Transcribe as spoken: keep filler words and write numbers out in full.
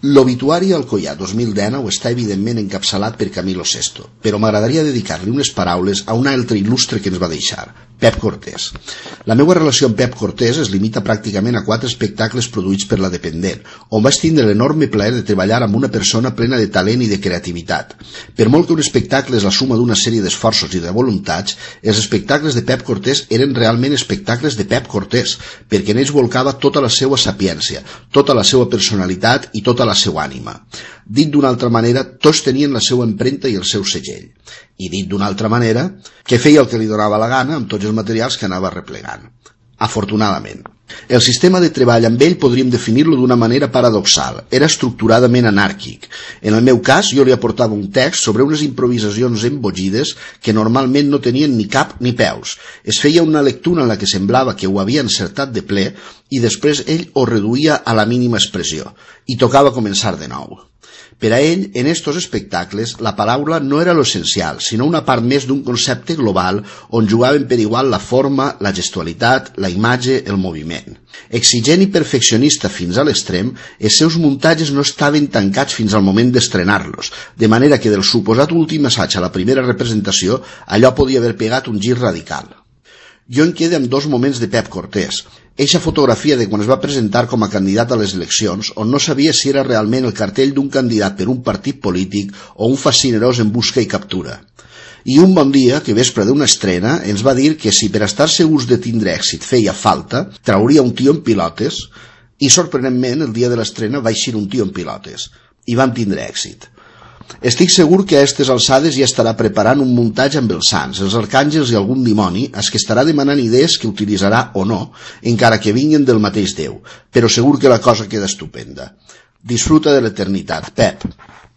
L'obituari Alcoià dos mil dinou està evidentment encapçalat per Camilo sesto, però m'agradaria dedicar-li unes paraules a un altre il·lustre que ens va deixar, Pep Cortés. La meva relació amb Pep Cortés es limita pràcticament a quatre espectacles produïts per La Dependent, on vaig tindre l'enorme plaer de treballar amb una persona plena de talent i de creativitat. Per molt que un espectacle és la suma d'una sèrie d'esforços i de voluntats, els espectacles de Pep Cortés eren realment espectacles de Pep Cortés, perquè en ells volcava tota la seva sapiència, tota la seva personalitat i tota la seva ànima. Dit d'una altra manera, tots tenien la seva empremta i el seu segell. I dit d'una altra manera, que feia el que li donava la gana amb tots els materials que anava replegant. Afortunadament. El sistema de treball amb ell podríem definir-lo d'una manera paradoxal. Era estructuradament anàrquic. En el meu cas, jo li aportava un text sobre unes improvisacions emboggides que normalment no tenien ni cap ni peus. Es feia una lectura en la que semblava que ho havia encertat de ple i després ell ho reduïa a la mínima expressió i tocava començar de nou. Per a ell, en estos espectacles, la paraula no era l'essencial, sinó una part més d'un concepte global on jugaven per igual la forma, la gestualitat, la imatge, el moviment. Exigent i perfeccionista fins a l'extrem, els seus muntatges no estaven tancats fins al moment d'estrenar-los, de manera que del suposat últim assaig a la primera representació, allò podia haver pegat un gir radical. Jo em quedo amb dos moments de Pep Cortés. Eixa fotografia de quan es va presentar com a candidat a les eleccions, on no sabia si era realment el cartell d'un candidat per un partit polític o un fascinerós en busca i captura. I un bon dia, que vespre d'una estrena, ens va dir que si per estar segurs de tindre èxit feia falta, trauria un tio en pilotes, i sorprenentment el dia de l'estrena va eixir un tio en pilotes. I vam tindre èxit. Estic segur que a aquestes alçades ja estarà preparant un muntatge amb els sants, els arcàngels i algun dimoni, als que estarà demanant idees que utilitzarà o no, encara que vinguin del mateix Déu, però segur que la cosa queda estupenda. Disfruta de l'eternitat, Pep.